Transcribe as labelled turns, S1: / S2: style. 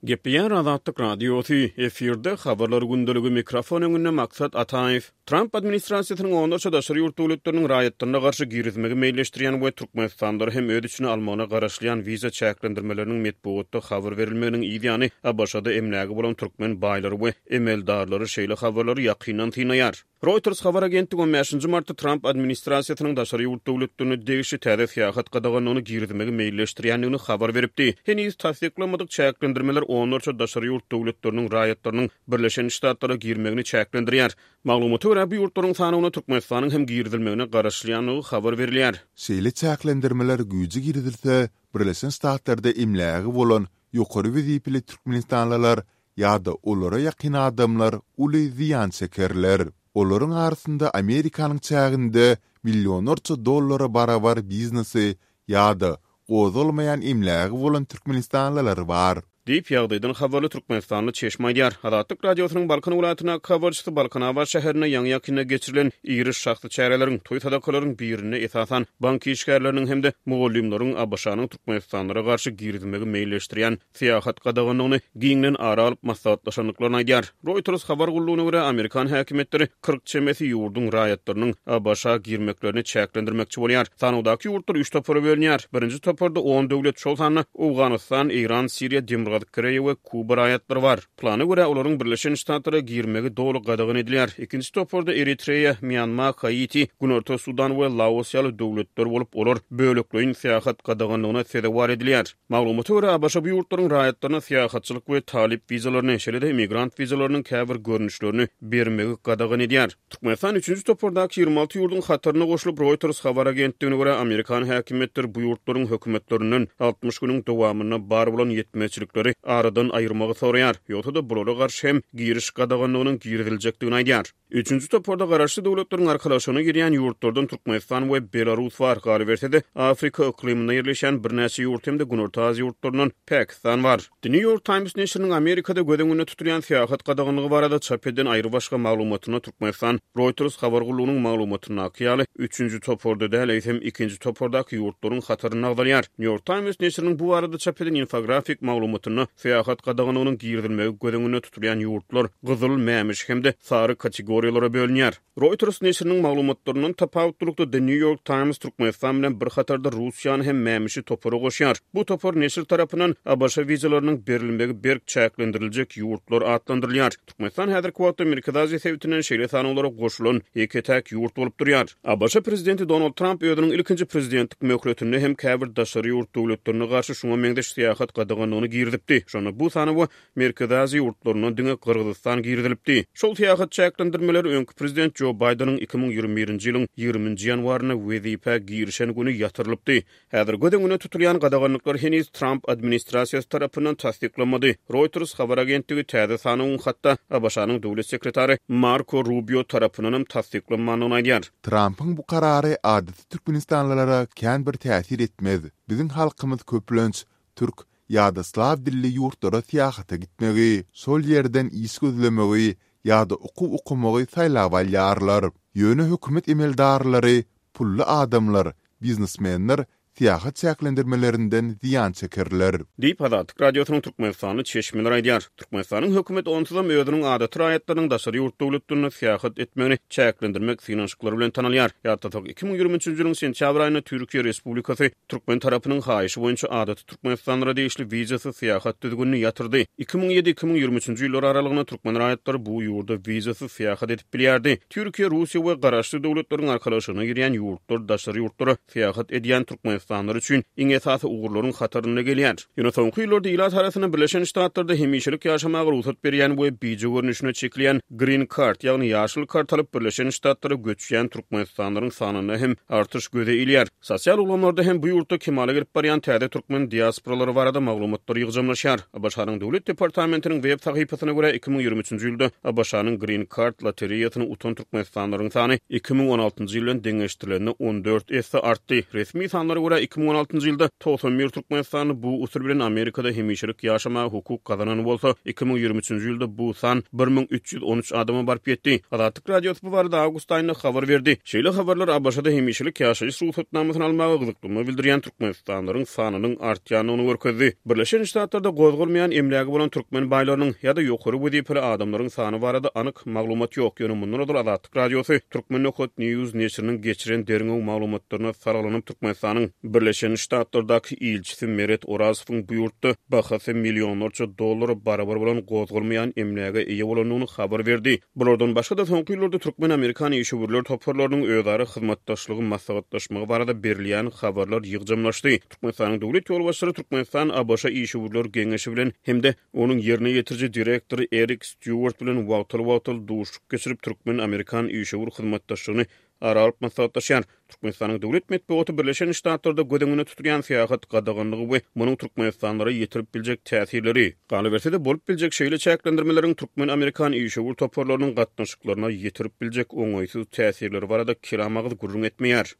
S1: Gepleýär Azatlyk Radiosy, efirde Habarlar gündeligi, mikrofon öňünde Maksat Ataýew. Tramp administrasiýasynyň onlarça daşary ýurt döwletleriniň raýatlaryna garşy girizmegi meýilleşdirýän we türkmenistanlylary hem öz içine almagyna garaşylýan wiza çäklendirmeleriniň metbugatda habar berilmeginiň yz ýany ABŞ-da emlägi bolan türkmen baýlary we emeldarlary şeýle habarlary ýakyndan synlaýar. Reuters habar agentligi on bäşinji martda Tramp administrasiýasynyň daşary ýurt döwletlerine degişli täze syýahat gadaganlygyny girizmegi meýilleşdirýändigini habar beripdi. Heniz tassyklanmadyk çäklendirmeler onlarça daşary ýurt döwletleriniň raýatlarynyň Birleşen Ştatlara girmegini çäklendirýär. Maglumata görä, bu ýurtlaryň sanawyna Türkmenistanyň hem girizilmegine garaşylýandygy habar berilýär.
S2: Şeýle çäklendirmeler güýje girizilse, Birleşen Ştatlarda emlägi bolan ýokary wezipeli türkmenistanlylar ýa-da olara ýakyn adamlar uly zyýan çekerler. Olaryň arasynda Amerikanyň çäginde millionlarça dollara barabar biznesi ýa-da gozgalmaýan emlägi bolan türkmenistanlylar bar.
S1: Diýip, ýagdaýdan habarly türkmenistanly çeşme aýdýar. Azatlyk Radiosynyň Balkan welaýatyndaky habarçysy Balkanabat şäherinde ýaňy-ýakynda geçirilen iri şahsy çäreleriň, toý-sadakalaryň birinde esasan bank işgärleriniň hem-de mugallymlaryň ABŞ-nyň türkmenistanlylara garşy girizmegi meýilleşdirýän syýahat gadaganlygyny giňden ara alyp maslahatlaşandyklaryny aýdýar. Reuters habar gullugyna görä, amerikan häkimiýetleri 40 çemesi ýurduň raýatlarynyň ABŞ-a girmeklerini çäklendirmekçi bolýar. Sanawdaky ýurtlar üç topara bölünýär. Birinji toparda on döwlet, şol sanda Owganystan, Eýran, Siriýa, Demirgazyk Koreýa we Kuba raýatlary bar. Plana görä, olaryň Birleşen Ştatlara girmegi doly gadagan edilýär. Ikinji toparda Eritreýa, Mýanma, Haiti, Günorta Sudan we Laos ýaly döwletler bolup, olar bölekleýin syýahat gadaganlygyna sezewar edilýär. Maglumata görä, ABŞ bu ýurtlaryň raýatlaryna syýahatçylyk we talyp wizalaryny, şeýle-de immigrant wizalarynyň käbir görnüşlerini bermegi gadagan edýär. Türkmenistan üçünji topardaky 26 ýurduň hataryna goşulyp, Reuters habar agentligine görä, amerikan häkimiýetleri bu ýurtlaryň hökümetlerinden 60 günüň dowamynda bar bolan ýetmezçilikleri aradan aýyrmagy soraýar, ýogsa-da bulara garşy hem giriş gadaganlygynyň giriziljekdigini aýdýar. Üçünji toparda Garaşsyz Döwletleriň Arkalaşygyna girýän ýurtlardan Türkmenistan we Belarus bar, galyberse-de, Afrika yklymynda ýerleşýän birnäçe ýurt hem-de Günorta Aziýa ýurtlaryndan Pakistan bar. The New York Times neşiriniň Amerikada göz öňünde tutulýan syýahat gadaganlygy barada çap eden aýrybaşga maglumatynda Türkmenistan Reuters habar gullugynyň maglumatyndaky ýaly, üçünji toparda däl, eýsem, ikinji topardaky ýurtlaryň hatarynda agzalýar. New York Times neşiriniň bu barada çap eden infografik maglumatynda Syýahat gadaganlygynyň girizilmegi göz öňünde tutulýan ýurtlar gyzyl, mämişi hem-de sary kategoriýalara bölünýär. Reuters neşiriniň maglumatlaryndan tapawutlylykda The New York Times Türkmenistan bilen bir hatarda Russiýany hem mämişi topara goşýar. Bu topar neşir tarapyndan ABŞ wizalarynyň berilmegi berk çäklendiriljek ýurtlar atlandyrylýar. Türkmenistan häzirki wagtda Merkezi Aziýa sebitinden şeýle sanawlara goşulan ýeke-täk ýurt bolup durýar. ABŞ prezidenti Donald Tramp özüniň ilkinji prezidentlik möhletinde hem käbir daşary ýurt döwletlerine garşy şuňa meňzeş syýahat gadaganlygyny girizipdi. Şonda bu sanawa Merkezi Aziýa ýurtlaryndan diňe Gyrgyzystan girizilipdi. Şol syýahat çäklendirmeleri öňki prezident Jo Baýdeniň 2021-nji ýylyň ýigriminji ýanwarynda wezipä girişen güni ýatyrylypdy. Häzir göz öňünde tutulýan gadaganlyklar heniz Tramp administrasiýasy tarapyndan tassyklanmady. Reuters habar agentligi täze sanawyň hatda ABŞ-nyň döwlet sekretary Marko Rubio tarapyndanam tassyklanmandygyny aýdýar.
S2: Trampyň bu karary adaty türkmenistanlylara kän bir täsir etmez. Biziň halkymyz köplenç türk ýa-da slaw dilli ýurtlara syýahata gitmegi, şol ýerden iş gözlemegi ýa-da okuw okamagy saýlap alýarlar. Ýöne hökümet emeldarlary, pully adamlar Biznesmenler syýahat çäklendirmelerinden zyýan çekerler.
S1: Diýip, Azatlyk Radiosynyň türkmenistanly çeşmeleri aýdýar. Türkmenistanyň hökümeti onsuzam özüniň adaty raýatlarynyň daşary ýurt döwletlerinde syýahat etmegini çäklendirmek synanyşyklary bilen tanalýar. Ýatlasak, 2023-nji ýylyň sentýabr aýynda Türkiýe Respublikasy türkmen tarapynyň haýyşy boýunça adaty türkmenistanlylara degişli wizasyz syýahat düzgünini ýatyrdy. 2007, 2023-nji ýyllar aralygynda türkmen raýatlary bu ýurda wizasyz syýahat edip bilýärdi. Türkiýe, Russiýa we Garaşsyz Döwletleriň Arkalaşygyna girýän ýurtlar daşary ýurtlara syýahat edýän türkmenistanlylar üçin iň esasy ugurlaryň hatarynda gelýär. Ýöne soňky ýyllarda ilat arasynda Birleşen Ştatlarda hemişelik ýaşamaga rugsat berýän we bije görnüşine çekilýän Green Card, ýagny ýaşyl kart alyp Birleşen Ştatlara göçýän türkmenistanlylaryň sanynda hem artyş göze ilýär. Sosial ulgamlarda hem bu ýurtda kemala gelip barýan täze türkmen diasporalary barada maglumatlar ýygjamlaşýar. ABŞ-nyň Döwlet departamentiniň web sahypasyna görä, 2023-nji ýylda ABŞ-nyň Green Card lotereýasyny utan türkmenistanlylaryň sany 2016-njy ýyl bilen deňeşdirilende 14 esse artdy. Resmi sanlara görä, görä, 2016-njy ýylda 91 türkmenistanly bu usul bilen Amerikada hemişelik ýaşamaga hukuk gazanan bolsa, 2023-nji ýylda bu san 1313 adama baryp ýetdi. Azatlyk Radiosy bu barada awgust aýynda habar berdi. Şeýle habarlar ABŞ-da hemişelik ýaşaýyş rugsatnamasyny almaga gyzyklanma bildirýän türkmenistanlylaryň sanynyň artýandygyny görkezdi. Birleşen Ştatlarda gozgalmaýan emlägi bolan türkmen baýlarynyň ýa-da ýokary wezipeli adamlaryň sany barada anyk maglumat ýok, ýöne mundan ozal Azatlyk Radiosy Turkmen. News neşiriniň geçiren derňew maglumatlaryna salgylanyp, Türkmenistanyň Birleşen Ştatlardaky ilçisi Meret Orazowyň bu ýurtda bahasy millionlarça dollara barabar bolan gozgalmaýan emläge eýe bolandygyny habar berdi. Bulardan başga-da, soňky ýyllarda türkmen-amerikan işewürler toparlarynyň özara hyzmatdaşlygy maslahatlaşmagy barada berilýän habarlar ýygjamlaşdy. Türkmenistanyň döwlet ýolbaşçylary Türkmenistan-ABŞ işewürler geňeşi bilen hem-de onuň ýerine ýetiriji direktory Erik Stýuart bilen wagtal-wagtal duşuşyk geçirip, türkmen-amerikan işewür hyzmatdaşlygyny ara alyp maslahatlaşýar. Türkmenistanyň döwlet metbugaty Birleşen Ştatlarda göz öňünde tutulýan syýahat gadaganlygy we munuň türkmenistanlylara ýetirip biljek täsirleri, galyberse-de, bolup biljek şeýle çäklendirmeleriň türkmen-amerikan işewür toparlarynyň gatnaşyklaryna ýetirip biljek oňaýsyz täsirleri barada kelam agyz gürrüň etmeýär.